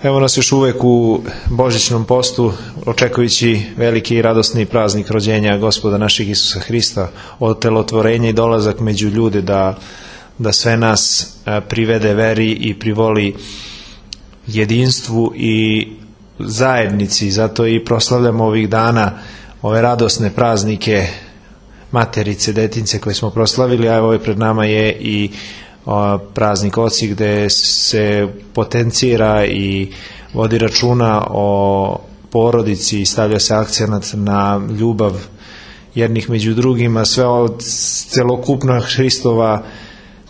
Evo nas još uvek u božićnom postu, očekujući veliki i radosni praznik rođenja Gospoda našeg Isusa Hrista, otelotvorenje i dolazak među ljude da sve nas privede veri i privoli jedinstvu i zajednici. Zato i proslavljamo ovih dana ove radosne praznike Materice, Detince koje smo proslavili, a evo pred nama je i praznik Oci gde se potencira i vodi računa o porodici i stavlja se akcenat na ljubav jednih među drugima. Sve od celokupna Hristova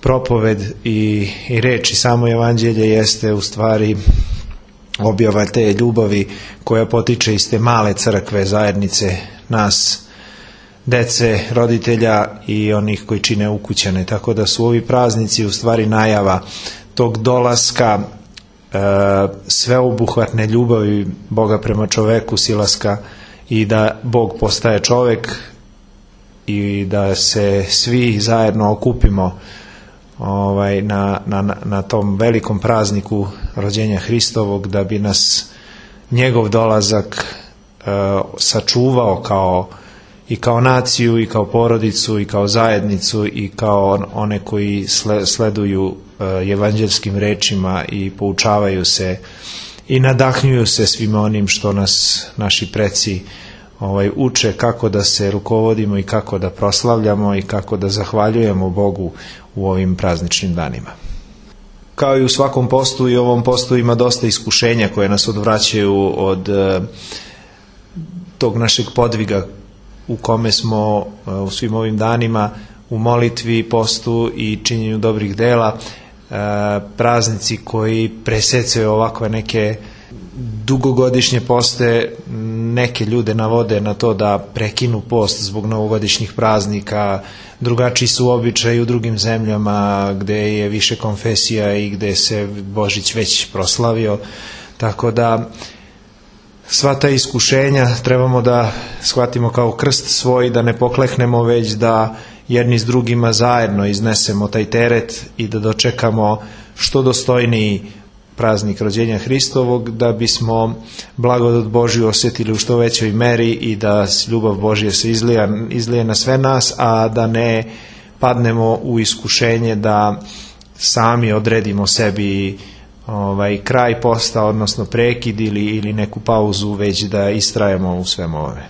propoved i reč i samo evanđelje jeste u stvari objava te ljubavi koja potiče iz te male crkve, zajednice nas, dece, roditelja i onih koji čine ukućane. Tako da su ovi praznici u stvari najava tog dolaska sveobuhvatne ljubavi Boga prema čoveku, silaska i da Bog postaje čovek i da se svi zajedno okupimo na tom velikom prazniku rođenja Hristovog, da bi nas njegov dolazak sačuvao i kao naciju, i kao porodicu, i kao zajednicu, i kao one koji sleduju evanđelskim rečima i poučavaju se i nadahnjuju se svim onim što nas naši preci uče, kako da se rukovodimo i kako da proslavljamo i kako da zahvaljujemo Bogu u ovim prazničnim danima. Kao i u svakom postu, i u ovom postu ima dosta iskušenja koje nas odvraćaju od tog našeg podviga u kome smo u svim ovim danima u molitvi, postu i činjenju dobrih dela. Praznici koji presecaju ovakve neke dugogodišnje poste neke ljude navode na to da prekinu post zbog novogodišnjih praznika. Drugačiji su običaji u drugim zemljama gde je više konfesija i gde se Božić već proslavio, tako da sva ta iskušenja trebamo da shvatimo kao krst svoj, da ne pokleknemo, već da jedni s drugima zajedno iznesemo taj teret i da dočekamo što dostojniji praznik rođenja Hristovog, da bismo blagodat Božju osjetili u što većoj meri i da ljubav Božja se izlije na sve nas, a da ne padnemo u iskušenje da sami odredimo sebi kraj posta, odnosno prekid ili neku pauzu, već da istrajemo u svemu ovome.